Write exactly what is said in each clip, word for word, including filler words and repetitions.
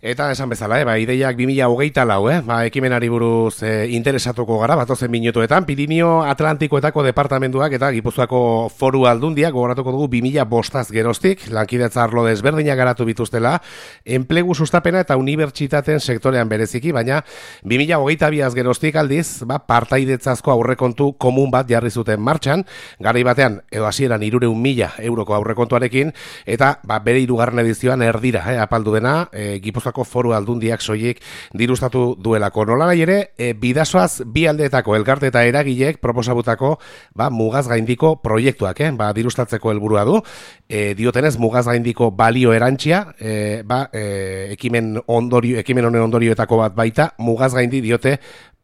Eta esan bezala, eh, ba, ideiak bi mila hogeita lau, eh, ba, ekimenari buruz eh, interesatuko gara, batozen minutuetan, Pirinio Atlantikoetako departamenduak eta Gipuzkoako Foru Aldundiak gogoratuko dugu bi mila bostaz geroztik, lankidetza arlo desberdinak garatu bituztela, enplegu sustapena eta unibertsitateen sektorean bereziki, baina bi mila hogeita biaz geroztik aldiz, ba, partaidetzazko aurrekontu komun bat jarri zuten martxan, garai batean, edo hasieran hirurehun mila euroko aurrekontuarekin, eta ba, bere hirugarren edizioan erdira, eh, apaldu dena, eh, Gipuzkoako Foru Aldundiak soilik dirustatu duelako. Nolanahi ere, e, bidasoaz bi aldeetako elkarte eta eragilek proposabutako ba, mugaz gaindiko proiektuak, eh? ba, dirustatzeko helburua du. E, diotenez, mugaz gaindiko balio erantsia, e, ba, e, ekimen, ondorio, ekimen honen ondorioetako bat baita, mugaz gaindi diote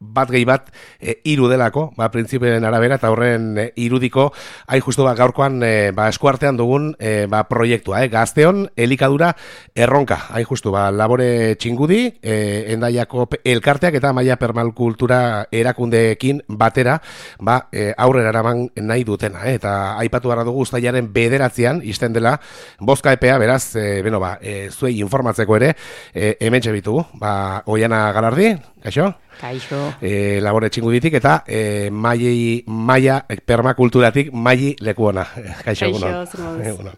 bat gehi bat e, iru delako, ba, printzipioen arabera, eta horren e, irudiko, hain justu ba, gaurkoan e, ba, eskuartean dugun e, ba, proiektua, eh? Gazteon elikadura erronka, hain justu, ba, labore txingudi, e, Endaiako elkarteak eta Maia Permakultura erakundeekin batera, ba, e, aurrera eraman nahi dutena, eh? Eta aipatu gara dugu uztailaren bederatzean, izten dela, bozka epea, beraz, e, beno, ba, e, zuei informatzeko ere, e, hementxe bitugu, ba, Oiana Galardi, kaixo? Kaixo. E, labore txinguditik eta e, Maia, Maia Permakulturatik Maili Lekuona. Kaixo, egunon.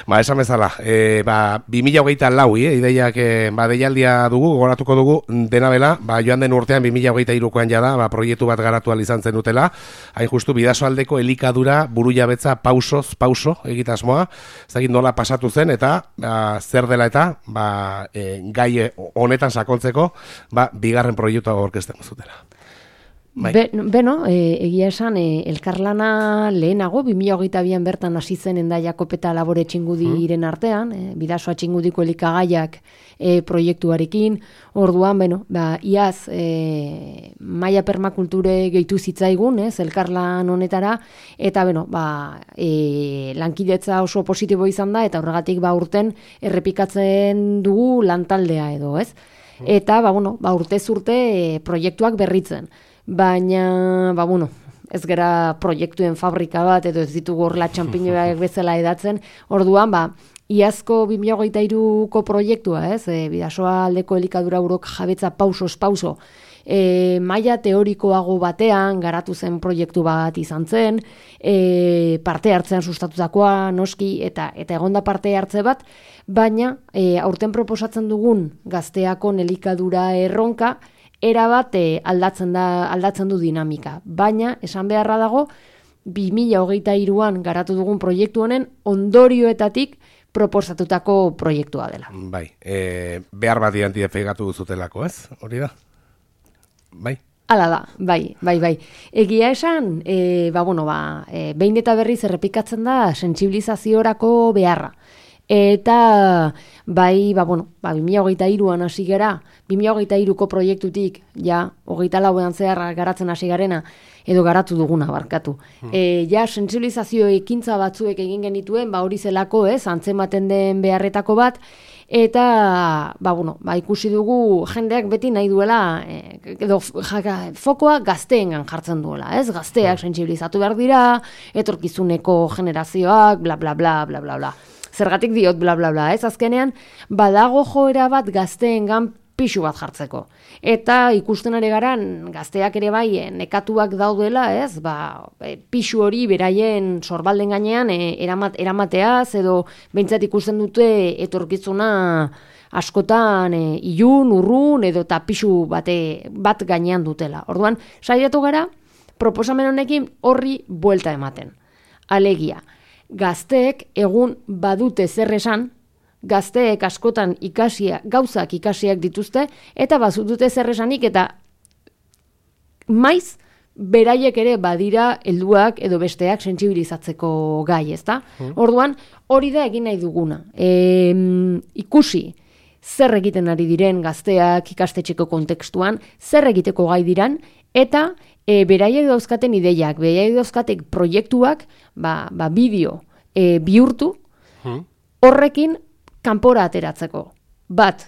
Ba, esan bezala, e, ba, bi mila hogeita lau, eh, ideiak e, ba, deialdia dugu, goratuko dugu, dena bela, ba, joan den urtean bi mila hogeita hirukoan jada, ba, proiektu bat garatu izan zen dutela, hain justu bidasoaldeko elikadura buru jabetza pausoz, pauso egitasmoa, ezagik nola pasatu zen, eta ba, zer dela eta ba, e, gai honetan sakontzeko, ba, bigarren proiektua orkestea zutela. Bai. Be, beno, e, egia esan, e, elkarlana lehenago, bi mila hogeita bian bertan hasi zen Endaiako peta labore txingudiren artean, e, bidasoa txingudiko elikagaiak e, proiektuarekin, orduan, beno, ba, iaz, e, Maia Permakulture gehitu zitzaigun, ez, elkarlan honetara, eta, beno, ba, e, lankidetza oso positibo izan da, eta horregatik, ba, urten errepikatzen dugu lantaldea edo, ez? Eta, ba, bueno, ba, urtez urte e, proiektuak berritzen. Baina, ba, bueno, ez gara proiektuen fabrika bat, edo ez ditugu horrela txampiñoak bezala edatzen. Orduan, ba, iazko bi mila hogeita hiruko proiektua, ez? E, bidasoa aldeko elikadura urok jabetza pausoz pauso. E, maila teorikoago batean garatu zen proiektu bat izan zen, e, parte hartzean sustatutakoa, noski, eta eta egonda parte hartze bat, baina e, aurten proposatzen dugun gazteakon elikadura erronka, erabat e, aldatzen da aldatzen du dinamika. Baina, esan beharra dago, bi mila hogeita hiruan garatu dugun proiektu honen ondorioetatik proposatutako proiektua dela. Bai, e, behar bat identifikatu duzutelako, ez? Hori da? Bai. Hala da, bai, bai, bai. Egia esan, e, ba, bueno, ba, e, behin eta berriz errepikatzen da sentsibilizaziorako beharra. Eta, bai, ba, bueno, ba, bi mila hogeita hiruan hasi gara, bi mila hogeita hiruko proiektutik, ja, hogeita lauean zehar garatzen hasi garena, edo garatu duguna, barkatu. Hmm. E, ja, sentsibilizazio ekintza batzuek egin genituen, ba, hori zelako, ez, antzematen den beharretako bat, eta, ba, bueno, ba, ikusi dugu jendeak beti nahi duela, e, edo jaka, fokoa gazteengan jartzen duela, ez? Gazteak sentsibilizatu behar dira, etorkizuneko generazioak, bla, bla, bla, bla, bla, bla. Zergatik diot, bla, bla, bla, ez? Azkenean, badago joera bat gazteengan pixu bat jartzeko. Eta ikusten ari garan, gazteak ere bai, nekatuak daudela, ez? Ba, pixu hori beraien sorbalden gainean e, eramat, eramateaz, edo behintzat ikusten dute etorkizuna askotan e, ilun, urrun, edo eta pixu bate, bat gainean dutela. Orduan, saiatu gara, proposamen honekin horri buelta ematen. Alegia, gazteek egun badute zer esan, gazteek askotan ikasia, gauzak ikasiak dituzte, eta bazutute zer esanik, eta maiz, beraiek ere badira helduak edo besteak sentsibilizatzeko gai, ezta? Hmm. Orduan, hori da egin nahi duguna. E, ikusi, zer egiten ari diren gazteak ikastetxeko kontekstuan, zer egiteko gai diran, eta e, beraiek dauzkaten ideiak, beraiek dauzkatek proiektuak, ba, ba bideo e, bihurtu, hmm. horrekin kanpora ateratzeko. Bat,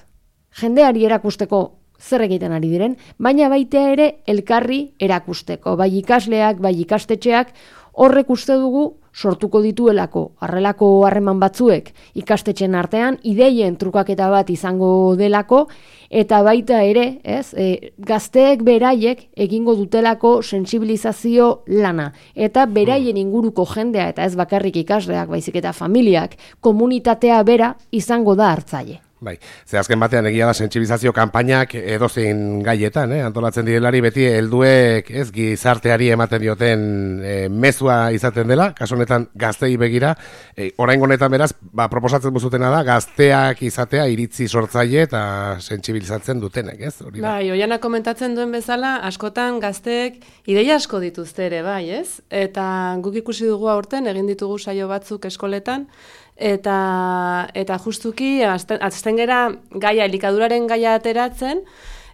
jendeari erakusteko zer egiten ari diren, baina baita ere elkarri erakusteko. Bai ikasleak, bai ikastetxeak, horrek uste dugu sortuko dituelako harrelako harreman batzuek ikastetxen artean, ideien trukaketa bat izango delako, eta baita ere, ez, e, gazteek beraiek egingo dutelako sentsibilizazio lana, eta beraien inguruko jendea, eta ez bakarrik ikasleak, baizik eta familiak, komunitatea bera izango da hartzaile. Bai, ze azken batean egia da sentsibilizazio kanpainak edozein gaietan, eh? Antolatzen direlari beti helduek, ez, gizarteari ematen dioten e, mezua izaten dela, kasu honetan gaztei begira, e, oraingo honetan beraz, ba, proposatzen buzutena da, gazteak izatea iritzi sortzaile eta sentsibilizatzen dutenek, ez? Hori da. Bai, Oiana komentatzen duen bezala, askotan gazteek ideia asko dituzte ere, bai, ez? Eta guk ikusi dugu aurten, egin ditugu saio batzuk eskoletan, eta eta justuki azten, azten gera gaia, elikaduraren gaia ateratzen,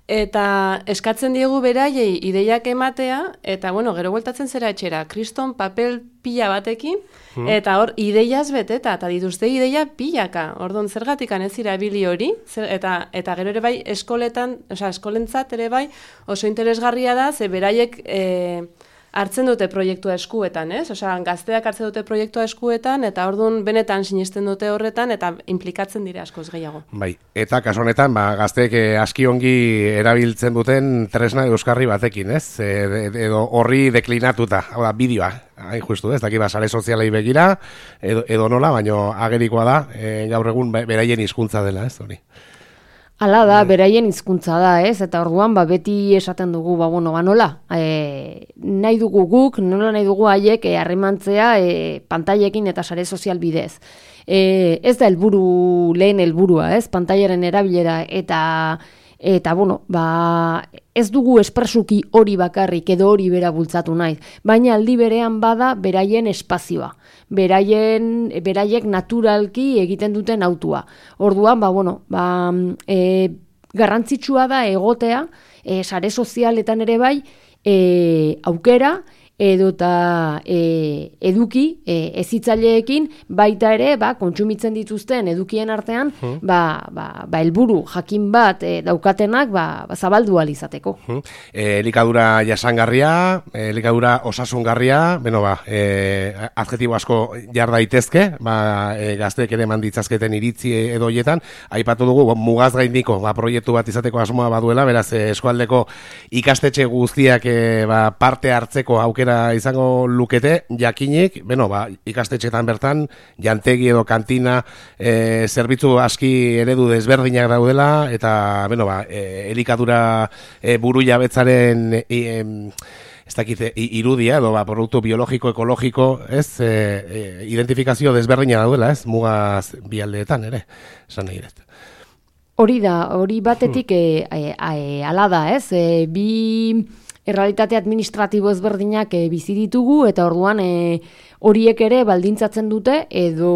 eta eskatzen diegu beraiei ideiak ematea, eta bueno, gero bueltatzen zera etxera, kriston papel pila batekin, hmm. eta hor ideiaz beteta, eta dituzte ideia pilaka, orduan zergatikan ez irabili hori, zer, eta, eta gero ere bai eskoletan, osea, eskolentzat ere bai oso interesgarria da, ze beraiek e, hartzen dute proiektua eskuetan, ez? Osea, gazteak hartzen dute proiektua eskuetan, eta orduan benetan sinesten dute horretan, eta implikatzen dira askoz gehiago. Bai, eta kasu honetan, ba, gazteek eh, aski ongi erabiltzen duten tresna euskarri batekin, ez? E, edo horri deklinatuta, hau da, bideoa, hain justu, ez? Daki ba, sare sozialei begira, edo, edo nola, baino agerikoa da, e, gaur egun beraien hizkuntza dela, ez hori. Hala da, beraien hizkuntza da, ez? Eta orduan, ba, beti esaten dugu, ba, bueno, ba, nola? E, nahi dugu guk, nola nahi dugu haiek harremantzea e, pantailekin eta sare sozial bidez. E, ez da helburu lehen helburua, ez? Pantailaren erabilera eta eta bueno, ba, ez dugu espresuki hori bakarrik edo hori bera bultzatu nahi, baina aldi berean bada beraien espazioa. Beraien, beraiek naturalki egiten duten autua. Orduan, ba, bueno, ba, e, garrantzitsua da egotea, e, sare sozialetan ere bai, e, aukera, edota e, eduki, e, ezitzaileekin, baita ere, ba, kontsumitzen dituzten edukien artean, hmm. ba, ba, ba, helburu jakin bat e, daukatenak, ba, ba, zabaldu alizateko. Hmm. E, elikadura jasangarria, e, elikadura osasungarria, beno ba, e, adjetibo asko jar daitezke, ba, e, gazteek ere manditzazketen iritzi edo hietan, aipatu dugu, mugaz gaindiko, ba, proiektu bat izateko asmoa baduela, beraz, e, eskualdeko ikastetxe guztiak e, ba, parte hartzeko aukera izango lukete, jakinik, beno, ba, ikastetxetan bertan, jantegi edo kantina, e, zerbitzu aski eredu desberdinak daudela, eta, beno, ba, e, elikadura e, buru jabetzaren e, e, ez dakit, irudia, edo, ba, produktu biologiko, ekologiko, ez, e, e, identifikazio desberdina daudela, ez, mugaz bialdeetan, ere, esan nahi dut. Hori da, hori batetik hmm. e, e, e, ala da, ez, e, bi errealitate administratibo ezberdinak e, bizi ditugu, eta orduan e, horiek ere baldintzatzen dute, edo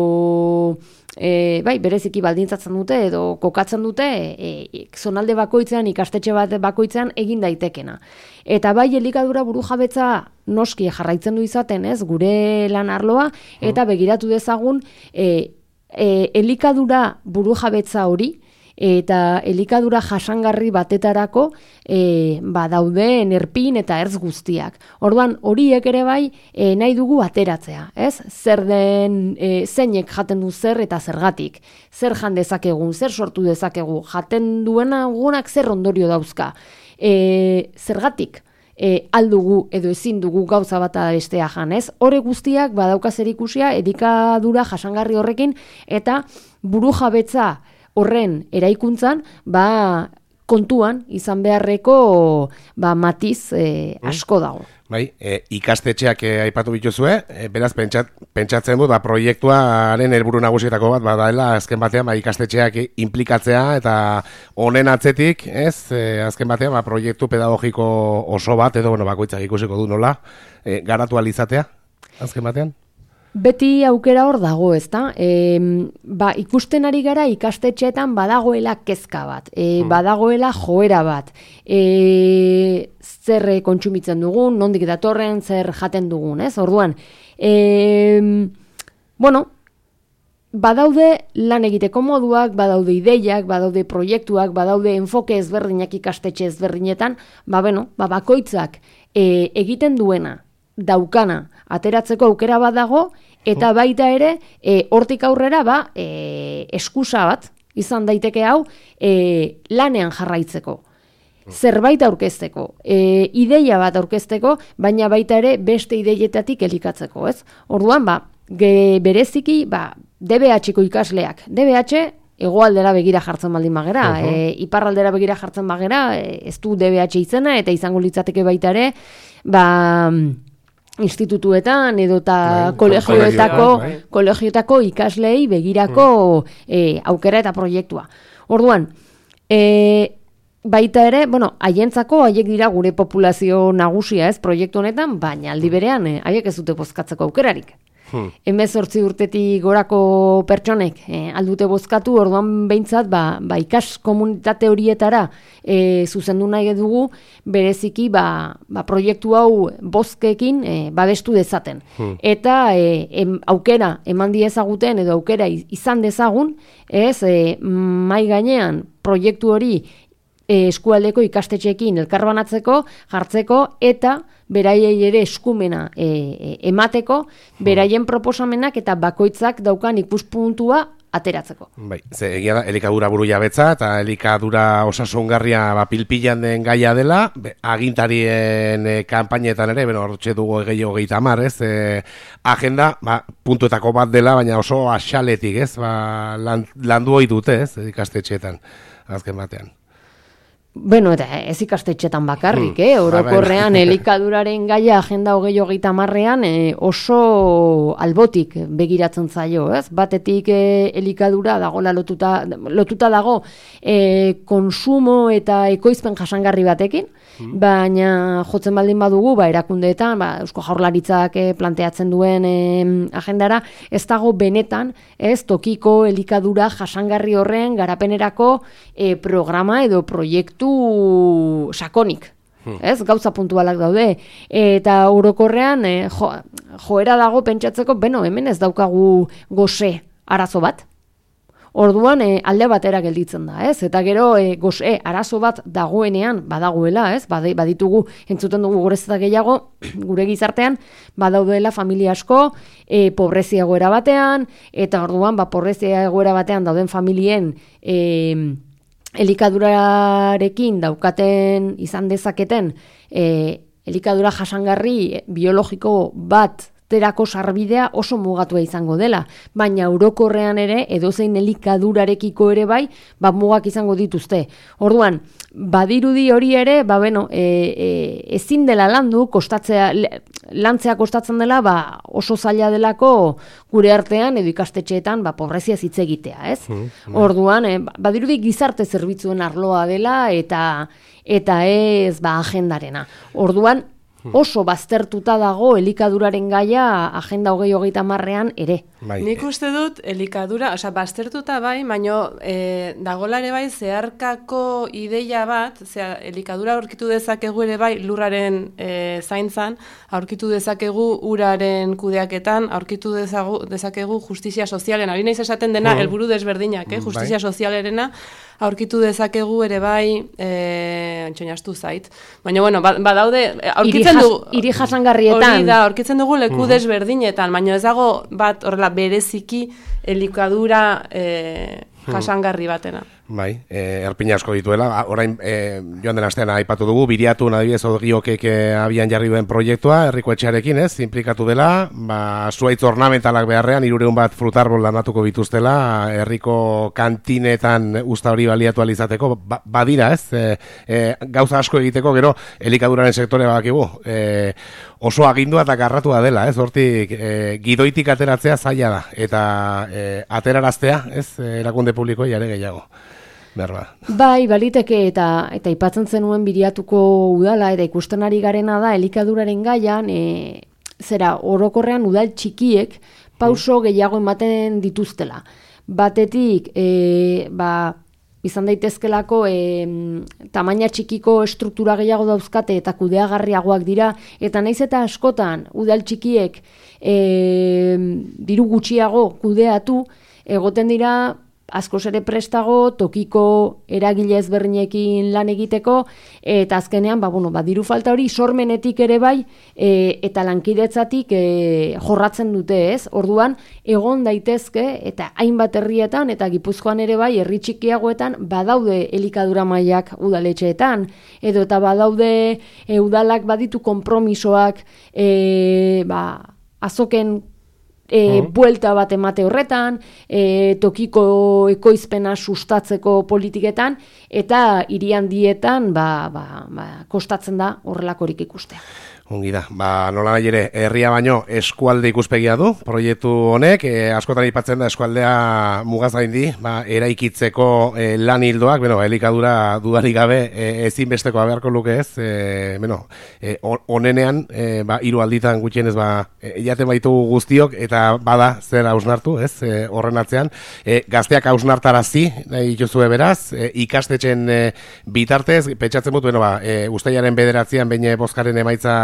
e, bai, bereziki baldintzatzen dute, edo kokatzen dute, e, e, zonalde bakoitzean, ikastetxe bat bakoitzean egin daitekena. Eta bai, elikadura burujabetza noski jarraitzen du izaten, ez, gure lan arloa, eta begiratu dezagun, e, e, elikadura burujabetza hori, eta elikadura jasangarri batetarako e, ba, dauden erpin eta ertz guztiak. Orduan, horiek ere bai e, nahi dugu ateratzea, ez? Zer den, e, zeinek jaten du zer eta zergatik. Zer jan dezakegun, zer sortu dezakegu, jaten duena gunak zer ondorio dauzka. E, zergatik e, aldugu edo ezin dugu gauza bat bestea jan, ez? Hore guztiak badauka zerikusia elikadura jasangarri horrekin, eta burujabetza horren eraikuntzan, ba, kontuan izan beharreko ba, matiz e, asko dago. Bai, e, ikastetxeak e, aipatu bituzue, e, beraz pentsat, pentsatzen dut, ba, proiektuaren helburu nagusietako bat badaela, azken batean ba, ikastetxeak inplikatzea, eta honen atzetik, ez, e, azken batean ba, proiektu pedagogiko oso bat, edo bueno, bakoitzak ikusiko du nola, e, garatu alizatea, azken batean? Beti aukera hor dago, ezta? E, ba, ikusten ari gara ikastetxeetan badagoela kezka bat, e, badagoela joera bat, e, zer kontsumitzen dugun, nondik datorren, zer jaten dugun, ez? Orduan, e, bueno, badaude lan egiteko moduak, badaude ideiak, badaude proiektuak, badaude enfoke ezberdinak ikastetxe ezberdinetan, ba, bueno, ba, bakoitzak e, egiten duena, daukana, ateratzeko aukera bat dago, Eta baita ere, e, hortik aurrera, ba, e, eskusa bat, izan daiteke hau, e, lanean jarraitzeko. Zerbait aurkezteko, e, ideia bat aurkezteko, baina baita ere beste ideietatik elikatzeko, ez? Orduan, ba, ge, bereziki, ba, D B H-ko ikasleak, D B H hegoaldera begira jartzen baldin bagera, uh -huh. e, iparraldera begira jartzen bagera, e, ez du D B H izena, eta izango litzateke baita ere, ba, institutuetan edota kolegioetako, kolegioetako ikaslei begirako e, aukera eta proiektua. Orduan, e, baita ere, bueno, haientzako haiek dira gure populazio nagusia, ez, proiektu honetan, baina aldi berean, eh, haiek ez dute bozkatzeko aukerarik. Hmm. Hemezortzi urtetik gorako pertsonek eh, aldute bozkatu, orduan behintzat, ba, ba ikas komunitate horietara eh, zuzendu nahi dugu, bereziki ba, ba proiektu hau bozkekin eh, babestu dezaten. Hmm. Eta eh, em, aukera eman diezaguten edo aukera izan dezagun, ez, eh, mai gainean proiektu hori eskualdeko ikastetxeekin elkarbanatzeko, jartzeko, eta beraiei ere eskumena e, e, emateko, beraien proposamenak eta bakoitzak daukan ikuspuntua ateratzeko. Bai, ze egia da, elikadura buru jabetza, eta elikadura osasungarria ba, pilpilan den gaia dela, be, agintarien e, kanpainetan ere, beno, hortxe dugu gehiago gehieta amar, ez, e, agenda, ba, puntuetako bat dela, baina oso axaletik, ez, ba, lan, landu hoi dute, ez, ikastetxeetan, azken batean. Bueno, eta ez ikastetxetan bakarrik, eh? Orokorrean elikaduraren gaia agenda hogei hogeita hamarrean eh, oso albotik begiratzen zaio, ez? Batetik eh, elikadura dagola lotuta, lotuta dago eh, konsumo eta ekoizpen jasangarri batekin, baina jotzen baldin badugu, ba, erakundeetan, ba, Eusko Jaurlaritzak eh, planteatzen duen eh, agendara, ez dago benetan, ez, tokiko elikadura jasangarri horren garapenerako eh, programa edo proiektu sakonik, ez, gauza puntualak daude, eta orokorrean eh, jo, joera dago pentsatzeko, beno, hemen ez daukagu gose arazo bat, orduan eh, alde batera gelditzen da, ez, eta gero eh, gose arazo bat dagoenean badagoela, ez, baditugu, entzuten dugu gorezeta gehiago, gure gizartean, badaudeela familia asko, eh, pobrezia egoera batean, eta orduan, ba, pobrezia egoera batean dauden familien eh, elikadurarekin daukaten izan dezaketen e, elikadura jasangarri biologiko bat terako sarbidea oso mugatua izango dela, baina orokorrean ere edozein elikadurarekiko ere bai, ba mugak izango dituzte. Orduan, badirudi hori ere, ba beno, e, e, ezin dela landu, kostatzea, lantzea kostatzen dela, ba oso zaila delako gure artean edo ikastetxeetan, ba pobrezia hitz egitea, ez? Mm, mm. Orduan, e, badirudi gizarte zerbitzuen arloa dela eta eta ez ba agendarena. Orduan, oso baztertuta dago elikaduraren gaia agenda hogei hogeita hamarrean ere. Bai. Nik uste dut elikadura, osea, baztertuta bai, baino e, dagolare bai zeharkako ideia bat, zera, elikadura aurkitu dezakegu ere bai lurraren e, zaintzan, aurkitu dezakegu uraren kudeaketan, aurkitu dezagu, dezakegu justizia sozialen, ari naiz esaten dena, mm. helburu desberdinak, eh? Justizia bai. Sozialerena, aurkitu dezakegu ere bai, e, antxoinastu zait. Baina, bueno, badaude, aurkitzen dugu... Iri jasangarrietan. Hori da, aurkitzen dugu leku mm. desberdinetan, baina ez dago bat, horrela, bereziki elikadura e, jasangarri batena. Bai, e, erpina asko dituela, orain e, joan den astean aipatu dugu, biriatu adibidez Ogiokek abian jarri duen proiektua, herriko etxearekin, ez, implikatu dela, ba, zuaitz ornamentalak beharrean, hirureun bat frutarbol lanatuko bituztela, herriko kantinetan usta hori baliatu alizateko, ba, badira, ez, e, e, gauza asko egiteko, gero, elikaduraren sektore bakigu, e, oso agindua eta garratua dela, ez, hortik, e, gidoitik ateratzea zaila da, eta e, ateraraztea, ez, erakunde publikoa jare gehiago. Berba. Bai, baliteke eta eta aipatzen zenuen biriatuko udala eta ikusten ari garena da elikaduraren gaian, e, zera orokorrean udal txikiek pauso gehiago ematen dituztela. Batetik, e, ba, izan daitezkelako e, tamaina txikiko estruktura gehiago dauzkate eta kudeagarriagoak dira, eta naiz eta askotan udal txikiek e, diru gutxiago kudeatu, egoten dira askoz ere prestago, tokiko eragile ezberdinekin lan egiteko, eta azkenean, ba, bueno, ba, diru falta hori sormenetik ere bai, e, eta lankidetzatik e, jorratzen dute, ez? Orduan, egon daitezke, eta hainbat herrietan, eta Gipuzkoan ere bai, herri txikiagoetan, badaude elikadura mailak udaletxeetan, edo eta badaude e, udalak baditu konpromisoak, e, ba, azoken E, Mm. buelta bat emate horretan, e, tokiko ekoizpena sustatzeko politiketan, eta hiri handietan ba, ba, ba, kostatzen da horrelakorik ikustea. Ongi da, ba, nola nahi ere, herria baino eskualde ikuspegia du, proiektu honek, e, askotan aipatzen da eskualdea mugaz gaindi, ba, eraikitzeko e, lan hildoak, bueno, elikadura dudarik gabe e, ezinbesteko beharko luke ez, e, bueno, e, onenean, e, ba, hiru alditan gutxienez, ba, e, jaten baitu guztiok, eta bada zer hausnartu, ez, e, horren atzean, e, gazteak hausnartarazi, nahi dituzue beraz, e, ikastetxen e, bitartez, pentsatzen dut, bueno, ba, e, ustailaren bederatzean behin bozkaren emaitza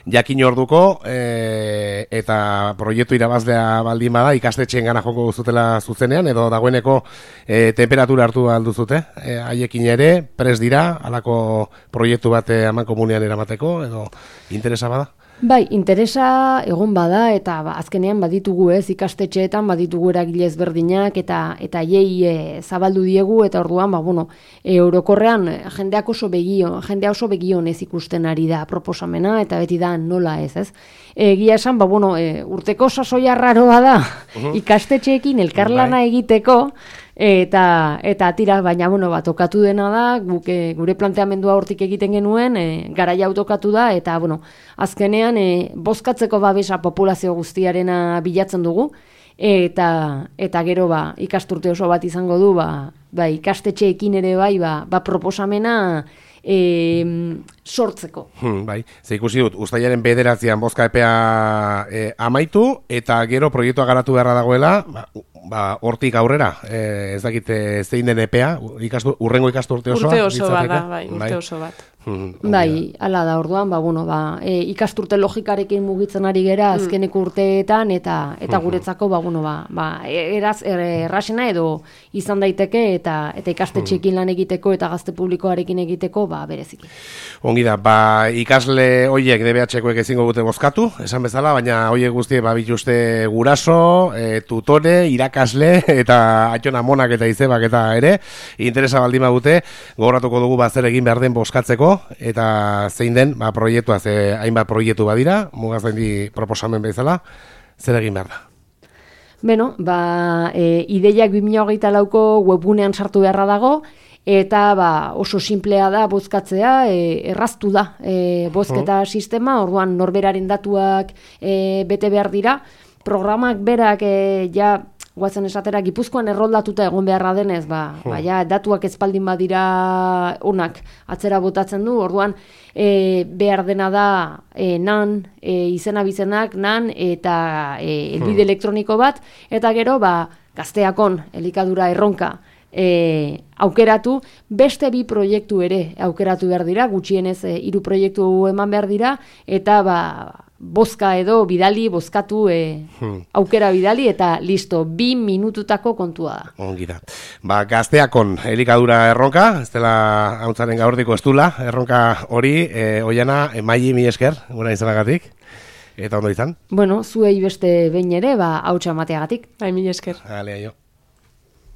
jakin orduko, e, eta proiektu irabazlea baldin bada ikastetxeen gana joko zutela zuzenean, edo dagoeneko e, temperatura hartu alduzute, e, haiekin ere, pres dira, halako proiektu bat aman komunean eramateko, edo interesa bada? Bai, interesa egon bada, eta ba, azkenean baditugu ez, ikastetxeetan baditugu eragile ezberdinak, eta eta hiei e, zabaldu diegu, eta orduan, ba, bueno, e, orokorrean jendeak oso begio, jendea oso begion ez ikusten ari da proposamena, eta beti da nola ez, ez? Egia esan, ba, bueno, e, urteko sasoia raroa da, uh-huh. ikastetxeekin elkarlana Bai. egiteko, eta eta tira, baina bueno, bat tokatu dena da, guk, e, gure planteamendua hortik egiten genuen, e, garaia autokatu da, eta bueno, azkenean e, bozkatzeko babesa populazio guztiarena bilatzen dugu, eta eta gero ba, ikasturte oso bat izango du, ba, ba ikastetxeekin ere bai, ba, ba proposamena E, sortzeko. Hmm, bai, ze ikusi dut, ustailaren bederatzean bozka epea e, amaitu, eta gero proiektua garatu beharra dagoela, ba, ba, hortik aurrera, e, ez dakite zein den epea, ikastu, urrengo ikasturte osoa? Urte oso bat da, bai, urte bai. oso bat. Hmm, bai, hala da, orduan, ba, bueno, ba, e, ikasturte logikarekin mugitzen ari gera azkeneko urteetan, eta eta guretzako, ba, bueno, ba, ba, eraz, er, errasena edo izan daiteke, eta eta ikastetxeekin lan egiteko, eta gazte publikoarekin egiteko, ba, bereziki. Ongi da, ba, ikasle hoiek D B H-koek ezingo dute bozkatu, esan bezala, baina hoiek guztiek ba, bituzte guraso, e, tutore, irakasle, eta atxona monak eta izebak eta ere, interesa baldin badute, gogoratuko dugu ba, zer egin behar den bozkatzeko, eta zein den, ba, proiektua, ze hainbat proiektu badira, mugazaindi proposamen bezala, zer egin behar da? Beno, ba, e, ideiak bi mila hogeita lauko webgunean sartu beharra dago, eta ba, oso simplea da bozkatzea, e, erraztu da e, bozketa sistema, orduan norberaren datuak e, bete behar dira, programak berak e, ja, guazen esatera, Gipuzkoan erroldatuta egon beharra denez, ba, hmm. ba ja, datuak ezpaldin badira onak atzera botatzen du, orduan e, behar dena da e, nan, e, izena bizenak, nan, eta e, elbide hmm. elektroniko bat, eta gero, ba, gazteakon, elikadura erronka, E, aukeratu, beste bi proiektu ere aukeratu behar dira, gutxienez e, hiru proiektu eman behar dira, eta ba, bozka edo bidali, bozkatu e, hmm. aukera bidali, eta listo, bi minututako kontua da. Ongi da. Ba, gazteakon elikadura erronka, ez dela hauntzaren gaurdiko ez dula, erronka hori, e, oiana, emaili mi esker, gura izanagatik, eta ondo izan? Bueno, zuei beste behin ere, ba, hautsa mateagatik. Bai, mi esker. Alea jo.